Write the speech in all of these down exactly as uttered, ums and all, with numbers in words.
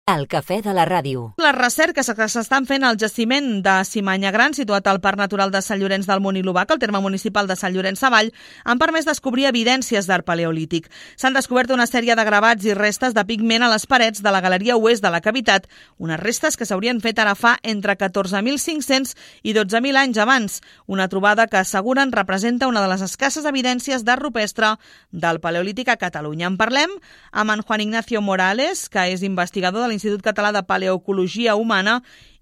El cafè de la ràdio. Les recerques que s'estan fent al jaciment de Cimanya Gran, situat al Parc Natural de Sant Llorenç del Munt i l'Obac, al terme municipal de Sant Llorenç Savall, han permès descobrir evidències d'art paleolític. S'han descobert una sèrie de gravats i restes de pigment a les parets de la galeria oest de la cavitat, unes restes que s'haurien fet ara fa entre catorze mil cinc-cents i dotze mil anys abans. Una trobada que asseguren representa una de les escasses evidències d'art rupestre del paleolític a Catalunya. En parlem amb en Juan Ignacio Morales, que és investigador de l'Institut Català de Paleoecologia Humana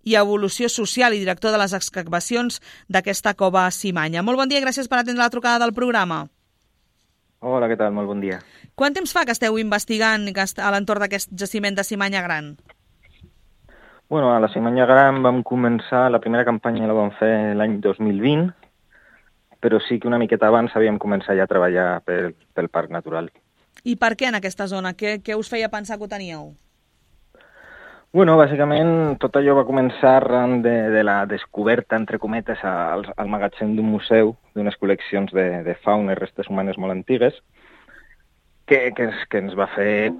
i Evolució Social i director de les excavacions d'aquesta cova a Cimanya. Molt bon dia i gràcies per atendre la trucada del programa. Hola, què tal? Molt bon dia. Quant temps fa que esteu investigant a l'entorn d'aquest jaciment de Cimanya Gran? Bueno, a la Cimanya Gran vam començar, la primera campanya la vam fer l'any dos mil vint, però sí que una miqueta abans havíem començat ja a treballar pel, pel Parc Natural. I per què en aquesta zona? Què, què us feia pensar que ho teníeu? Bueno, bàsicament tot allò va començar arran de, de la descoberta, entre cometes, al, al magatzem d'un museu, d'unes col·leccions de, de fauna i restes humanes molt antigues, que, que, ens, que ens va fer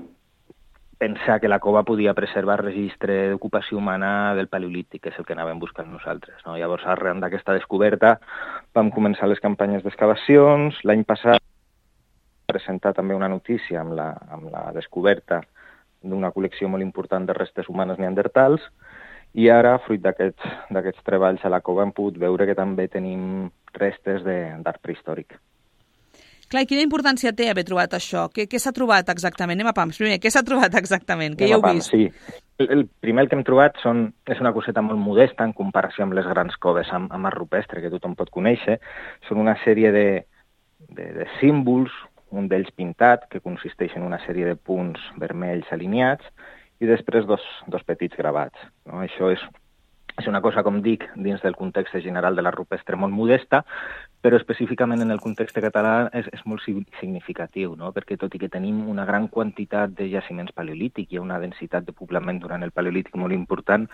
pensar que la cova podia preservar registre d'ocupació humana del Paleolític, que és el que anàvem buscant nosaltres, no? Llavors, arran d'aquesta descoberta, vam començar les campanyes d'excavacions. L'any passat vam presentar també una notícia amb la, amb la descoberta d'una col·lecció molt important de restes humanes neandertals, i ara, fruit d'aquests d'aquests treballs a la cova, hem pogut veure que també tenim restes d'art prehistòric. Clar, i quina importància té haver trobat això? Què, què s'ha trobat exactament? Anem a pams. Primer, què s'ha trobat exactament? Què hi heu vist? Sí. El, el primer que hem trobat són, és una coseta molt modesta en comparació amb les grans coves amb, amb art rupestre, que tothom pot conèixer. Són una sèrie de, de, de símbols, un d'ells pintat, que consisteix en una sèrie de punts vermells alineats, i després dos, dos petits gravats, no? Això és, és una cosa, com dic, dins del context general de la rupestre molt modesta, però específicament en el context català és, és molt significatiu, no? Perquè tot i que tenim una gran quantitat de jaciments paleolítics i una densitat de poblament durant el Paleolític molt important,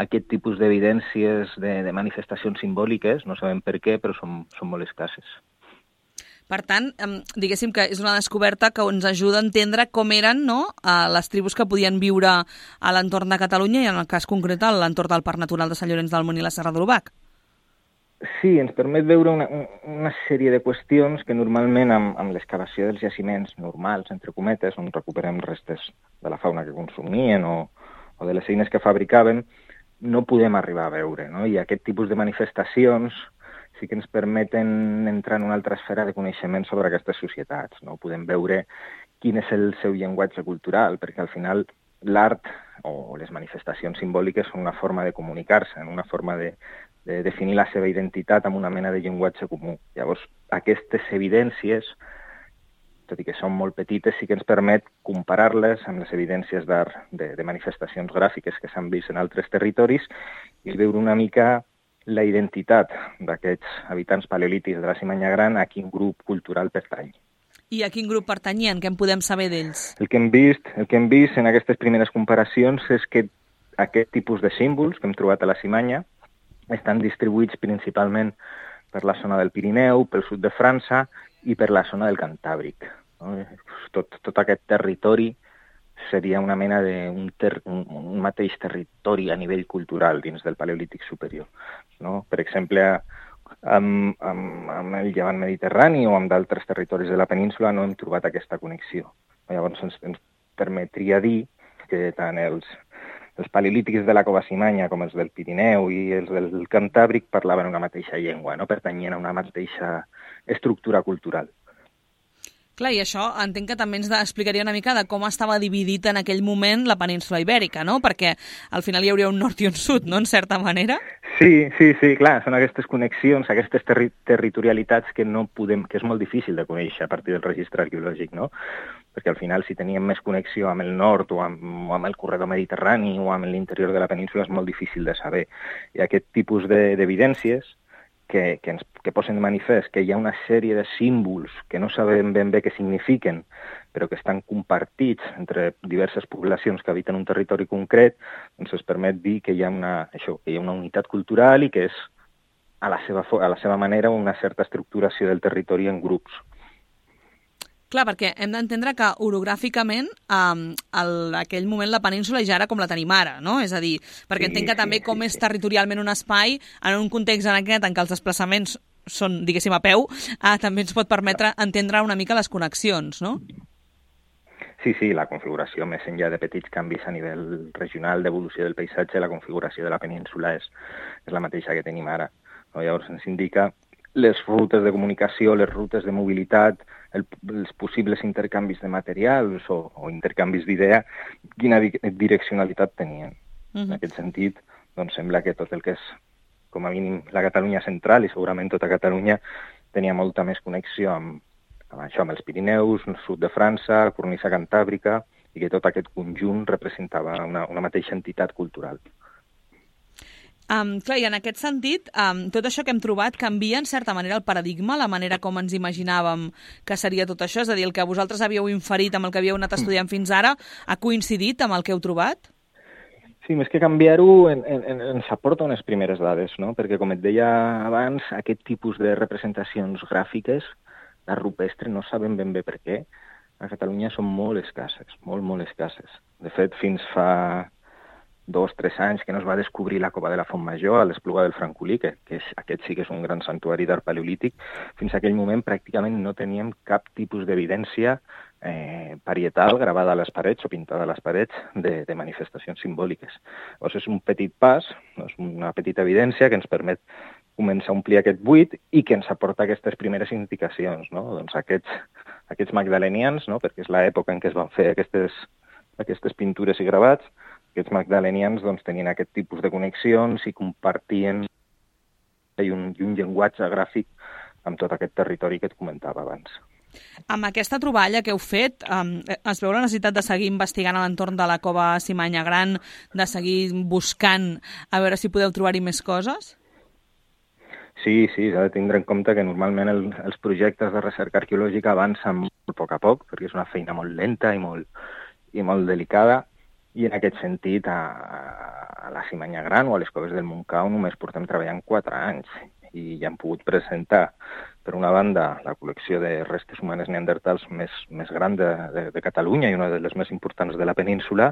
aquest tipus d'evidències de, de manifestacions simbòliques, no sabem per què, però són, són molt escasses. Per tant, diguéssim que és una descoberta que ens ajuda a entendre com eren, no?, les tribus que podien viure a l'entorn de Catalunya i en el cas concret a l'entorn del Parc Natural de Sant Llorenç del Munt i la Serra de l'Obac. Sí, ens permet veure una, una sèrie de qüestions que normalment amb, amb l'excavació dels jaciments normals, entre cometes, on recuperem restes de la fauna que consumien o, o de les eines que fabricaven, no podem arribar a veure, no? I aquest tipus de manifestacions sí que ens permeten entrar en una altra esfera de coneixement sobre aquestes societats, no? Podem veure quin és el seu llenguatge cultural, perquè al final l'art o les manifestacions simbòliques són una forma de comunicar-se, una forma de, de definir la seva identitat amb una mena de llenguatge comú. Llavors, aquestes evidències, tot i que són molt petites, sí que ens permet comparar-les amb les evidències d'art de, de manifestacions gràfiques que s'han vist en altres territoris i veure una mica la identitat d'aquests habitants paleolítics de la Cimanya Gran, a quin grup cultural pertany. I a quin grup pertanyien? Què en podem saber d'ells? El que hem vist, el que hem vist en aquestes primeres comparacions és que aquest tipus de símbols que hem trobat a la Cimanya estan distribuïts principalment per la zona del Pirineu, pel sud de França i per la zona del Cantàbric, no? Tot, tot aquest territori seria una mena de un, ter, un, un mateix territori a nivell cultural dins del Paleolític superior, no? Per exemple, amb, amb, amb el llevant mediterrani o amb d'altres territoris de la península no hem trobat aquesta connexió. Llavors ens, ens permetria dir que tant els, els paleolítics de la cova Cimanya com els del Pirineu i els del Cantàbric parlaven una mateixa llengua, no? Pertanyien a una mateixa estructura cultural. Clar, i això entenc que també ens explicaria una mica de com estava dividit en aquell moment la península ibèrica, no? Perquè al final hi hauria un nord i un sud, no?, en certa manera. Sí, sí, sí, clar, són aquestes connexions, aquestes terri territorialitats que no podem, que és molt difícil de conèixer a partir del registre arqueològic, no? Perquè al final, si teníem més connexió amb el nord o amb, o amb el corredor mediterrani o amb l'interior de la península, és molt difícil de saber. I aquest tipus d'evidències de, que, que ens que posen de manifest que hi ha una sèrie de símbols que no sabem ben bé què signifiquen, però que estan compartits entre diverses poblacions que habiten un territori concret, doncs es permet dir que hi ha una, això, que hi ha una unitat cultural i que és a la seva, a la seva manera una certa estructuració del territori en grups. Clar, perquè hem d'entendre que orogràficament um, en aquell moment la península ja era com la tenim ara, no? És a dir, perquè sí, entenc que sí, també com sí, és sí. territorialment un espai, en un context en aquest en què els desplaçaments són, diguéssim, a peu, uh, també ens pot permetre entendre una mica les connexions, no? Sí, sí, la configuració, més enllà de petits canvis a nivell regional d'evolució del paisatge, la configuració de la península és, és la mateixa que tenim ara. No? Llavors ens indica les rutes de comunicació, les rutes de mobilitat, el, els possibles intercanvis de materials o, o intercanvis d'idea, quina di direccionalitat tenien. Uh-huh. En aquest sentit, doncs sembla que tot el que és, com a mínim, la Catalunya central i segurament tota Catalunya tenia molta més connexió amb, amb això, amb els Pirineus, el sud de França, la cornisa cantàbrica, i que tot aquest conjunt representava una, una mateixa entitat cultural. Um, clar, i en aquest sentit, um, tot això que hem trobat canvia en certa manera el paradigma, la manera com ens imaginàvem que seria tot això? És a dir, el que vosaltres havíeu inferit amb el que havíeu anat estudiant fins ara ha coincidit amb el que heu trobat? Sí, més que canviar-ho en, en, ens aporta unes primeres dades, no? Perquè, com et deia abans, aquest tipus de representacions gràfiques, la rupestre, no sabem ben bé per què. A Catalunya són molt escasses, molt, molt escasses. De fet, fins fa dos, tres anys que no es va descobrir la cova de la Font Major a l'Espluga del Francolí, que, que és, aquest sí que és un gran santuari d'art paleolític. Fins a aquell moment pràcticament no teníem cap tipus d'evidència eh, parietal gravada a les parets o pintada a les parets de, de manifestacions simbòliques. Llavors és un petit pas, no? És una petita evidència que ens permet començar a omplir aquest buit i que ens aporta aquestes primeres indicacions, no? Doncs aquests, aquests magdalenians, no? Perquè és l'època en què es van fer aquestes, aquestes pintures i gravats. Aquests magdalenians doncs, tenien aquest tipus de connexions i compartien i un, i un llenguatge gràfic amb tot aquest territori que et comentava abans. Amb aquesta troballa que heu fet, um, es veu la necessitat de seguir investigant a l'entorn de la cova Cimanya Gran, de seguir buscant a veure si podeu trobar-hi més coses? Sí, sí, s'ha de tindre en compte que normalment el, els projectes de recerca arqueològica avancen molt a poc a poc, perquè és una feina molt lenta i molt, i molt delicada. I en aquest sentit, a, a la Cimanya Gran o a les coves del Montcau només portem treballant quatre anys i ja hem pogut presentar, per una banda, la col·lecció de restes humanes neandertals més, més gran de, de, de Catalunya i una de les més importants de la península,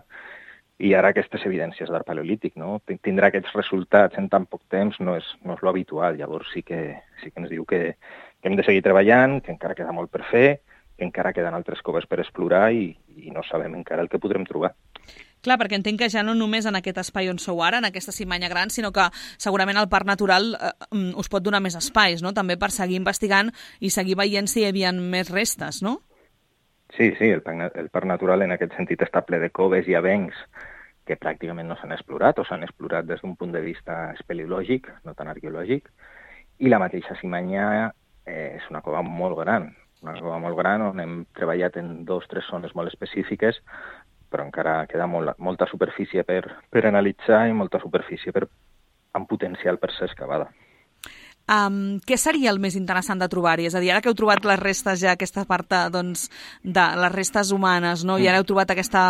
i ara aquestes evidències d'art paleolític, no? Tindrà aquests resultats en tan poc temps no és, no és lo habitual, llavors sí que, sí que ens diu que, que hem de seguir treballant, que encara queda molt per fer, que encara queden altres coves per explorar i, i no sabem encara el que podrem trobar. Clar, perquè entenc que ja no només en aquest espai on sou ara, en aquesta Cimanya Gran, sinó que segurament el Parc Natural eh, us pot donar més espais, no? També per seguir investigant i seguir veient si hi havia més restes, no? Sí, sí, el Parc, el Parc Natural en aquest sentit està ple de coves i avencs que pràcticament no s'han explorat o s'han explorat des d'un punt de vista espeleològic, no tan arqueològic, i la mateixa Cimanya eh, és una cova molt gran, una cova molt gran on hem treballat en dos o tres zones molt específiques, però encara queda molt, molta superfície per, per analitzar i molta superfície per, amb potencial per ser excavada. Um, què seria el més interessant de trobar-hi? És a dir, ara que heu trobat les restes ja, aquesta part doncs, de les restes humanes, no? I ara heu trobat aquesta,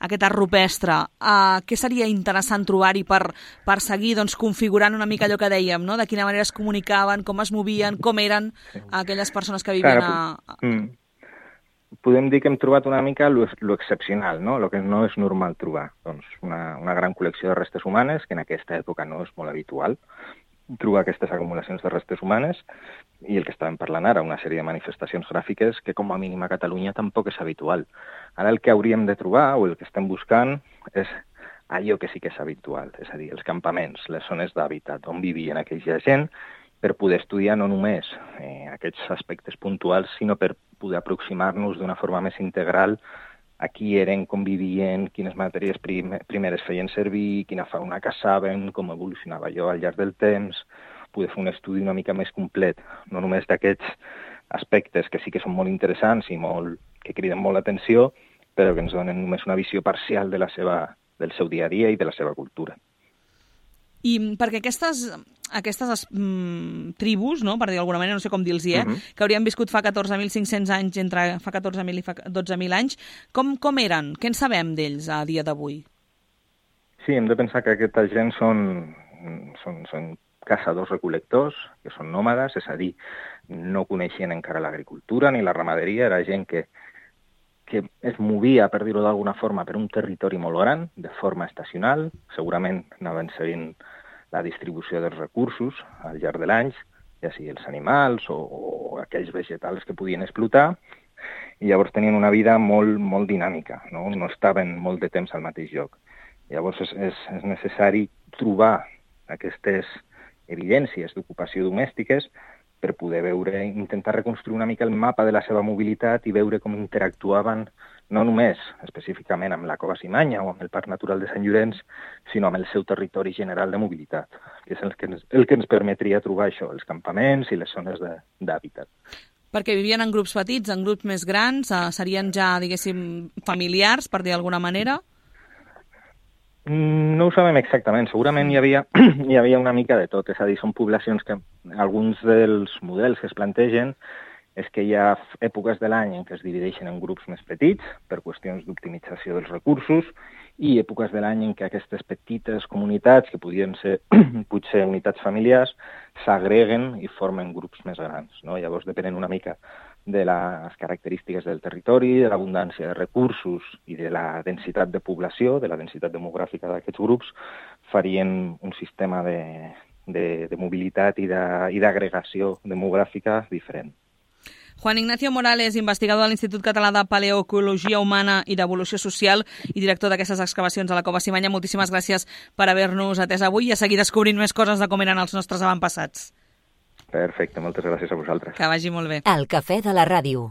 aquesta rupestre, uh, què seria interessant trobar-hi per, per seguir doncs, configurant una mica allò que dèiem, no? De quina manera es comunicaven, com es movien, com eren aquelles persones que vivien a... Mm. Podem dir que hem trobat una mica lo, lo excepcional, no? Lo que no és normal trobar. Doncs una, una gran col·lecció de restes humanes, que en aquesta època no és molt habitual trobar aquestes acumulacions de restes humanes, i el que estàvem parlant ara, una sèrie de manifestacions gràfiques que com a mínim a Catalunya tampoc és habitual. Ara el que hauríem de trobar, o el que estem buscant, és allò que sí que és habitual, és a dir, els campaments, les zones d'hàbitat, on vivien aquella gent, per poder estudiar no només eh, aquests aspectes puntuals, sinó per poder aproximar-nos d'una forma més integral a qui eren, com vivien, quines matèries prim primeres feien servir, quina fauna caçaven, com evolucionava allò al llarg del temps, poder fer un estudi una mica més complet, no només d'aquests aspectes que sí que són molt interessants i molt, que criden molt l'atenció, però que ens donen només una visió parcial de la seva, del seu dia a dia i de la seva cultura. I perquè aquestes, aquestes mm, tribus, no, per dir d'alguna manera, no sé com dir-los-hi, eh, uh-huh. que haurien viscut fa catorze mil cinc-cents anys, entre fa catorze mil i fa dotze mil anys, com, com eren? Què en sabem d'ells a dia d'avui? Sí, hem de pensar que aquesta gent són, són, són caçadors-recol·lectors, que són nòmades, és a dir, no coneixien encara l'agricultura ni la ramaderia, era gent que, que es movia, per dir-ho d'alguna forma, per un territori molt gran, de forma estacional, segurament anaven seguint la distribució dels recursos al llarg de l'any, ja sigui els animals o, o aquells vegetals que podien explotar, i llavors tenien una vida molt, molt dinàmica, no? No estaven molt de temps al mateix lloc. Llavors és, és, és necessari trobar aquestes evidències d'ocupació domèstiques per poder veure, intentar reconstruir una mica el mapa de la seva mobilitat i veure com interactuaven no només específicament amb la Cova Simanya o amb el Parc Natural de Sant Llorenç, sinó amb el seu territori general de mobilitat, que és el que ens, el que ens permetria trobar això, els campaments i les zones d'hàbitat. Perquè vivien en grups petits, en grups més grans, eh, serien ja, diguéssim, familiars, per dir d'alguna manera? No ho sabem exactament. Segurament hi havia, hi havia una mica de tot. És a dir, són poblacions que alguns dels models que es plantegen és que hi ha èpoques de l'any en què es divideixen en grups més petits per qüestions d'optimització dels recursos i èpoques de l'any en què aquestes petites comunitats, que podien ser potser unitats familiars, s'agreguen i formen grups més grans, no? Llavors, depenent una mica de les característiques del territori, de l'abundància de recursos i de la densitat de població, de la densitat demogràfica d'aquests grups, farien un sistema de, de, de mobilitat i d'agregació demogràfica diferent. Juan Ignacio Morales, investigador de l'Institut Català de Paleoecologia Humana i d'Evolució Social i director d'aquestes excavacions a la Cova Simanya, moltíssimes gràcies per haver-nos atès avui i a seguir descobrint més coses de com eren els nostres avantpassats. Perfecte, moltes gràcies a vosaltres. Que vagi molt bé. El Cafè de la Ràdio.